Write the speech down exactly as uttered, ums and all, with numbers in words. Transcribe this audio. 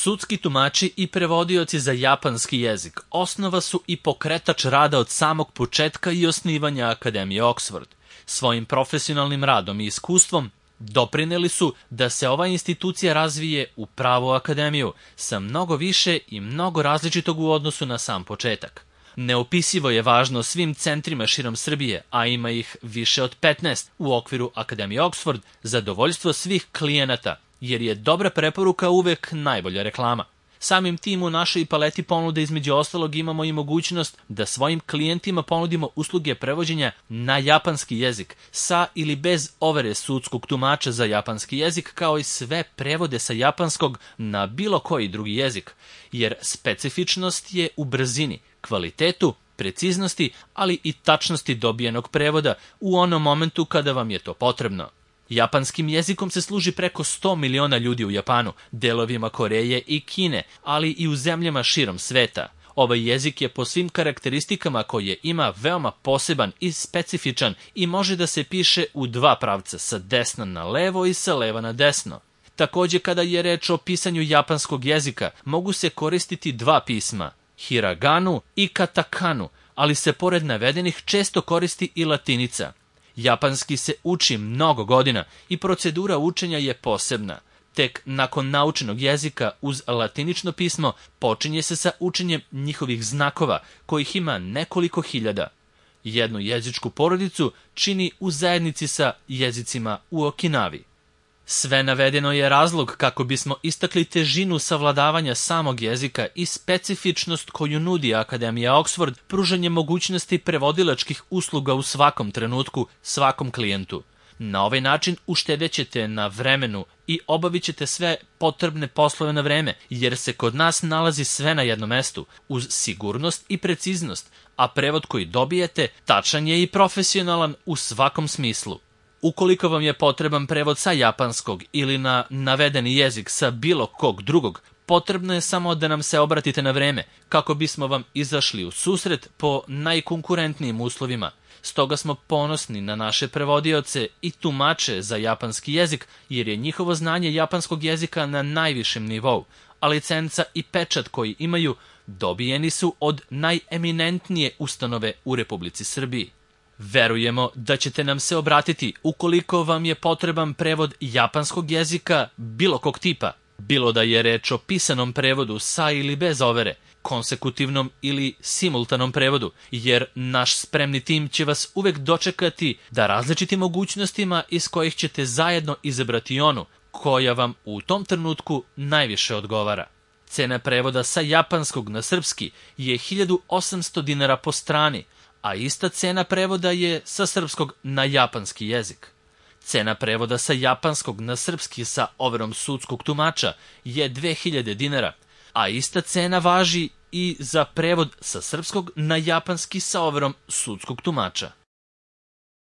Sudski tumači i prevodioci za japanski jezik osnova su i pokretač rada od samog početka i osnivanja Akademije Oxford. Svojim profesionalnim radom i iskustvom doprineli su da se ova institucija razvije u pravu akademiju sa mnogo više i mnogo različitog u odnosu na sam početak. Neopisivo je važno svim centrima širom Srbije, a ima ih više od petnaest u okviru Akademije Oxford, zadovoljstvo svih klijenata, jer je dobra preporuka uvek najbolja reklama. Samim tim u našoj paleti ponude između ostalog imamo i mogućnost da svojim klijentima ponudimo usluge prevođenja na japanski jezik sa ili bez overe sudskog tumača za japanski jezik, kao i sve prevode sa japanskog na bilo koji drugi jezik, jer specifičnost je u brzini, kvalitetu, preciznosti, ali i tačnosti dobijenog prevoda u onom momentu kada vam je to potrebno. Japanskim jezikom se služi preko sto miliona ljudi u Japanu, delovima Koreje i Kine, ali i u zemljama širom sveta. Ovaj jezik je po svim karakteristikama koje ima veoma poseban i specifičan i može da se piše u dva pravca, sa desna na levo i sa leva na desno. Takođe, kada je reč o pisanju japanskog jezika, mogu se koristiti dva pisma, hiraganu i katakanu, ali se pored navedenih često koristi i latinica. Japanski se uči mnogo godina i procedura učenja je posebna. Tek nakon naučenog jezika uz latinično pismo počinje se sa učenjem njihovih znakova, kojih ima nekoliko hiljada. Jednu jezičku porodicu čini u zajednici sa jezicima u Okinavi. Sve navedeno je razlog kako bismo istakli težinu savladavanja samog jezika i specifičnost koju nudi Akademija Oxford, pružanje mogućnosti prevodilačkih usluga u svakom trenutku, svakom klijentu. Na ovaj način uštedećete na vremenu i obavit ćete sve potrebne poslove na vreme, jer se kod nas nalazi sve na jednom mestu, uz sigurnost i preciznost, a prevod koji dobijete tačan je i profesionalan u svakom smislu. Ukoliko vam je potreban prevod sa japanskog ili na navedeni jezik sa bilo kog drugog, potrebno je samo da nam se obratite na vreme, kako bismo vam izašli u susret po najkonkurentnijim uslovima. Stoga smo ponosni na naše prevodioce i tumače za japanski jezik, jer je njihovo znanje japanskog jezika na najvišem nivou, a licenca i pečat koji imaju dobijeni su od najeminentnije ustanove u Republici Srbiji. Verujemo da ćete nam se obratiti ukoliko vam je potreban prevod japanskog jezika bilo kog tipa, bilo da je reč o pisanom prevodu sa ili bez overe, konsekutivnom ili simultanom prevodu, jer naš spremni tim će vas uvek dočekati da različitim mogućnostima iz kojih ćete zajedno izabrati onu koja vam u tom trenutku najviše odgovara. Cena prevoda sa japanskog na srpski je hiljadu osamsto dinara po strani, a ista cena prevoda je sa srpskog na japanski jezik. Cena prevoda sa japanskog na srpski sa overom sudskog tumača je dve hiljade dinara, a ista cena važi i za prevod sa srpskog na japanski sa overom sudskog tumača.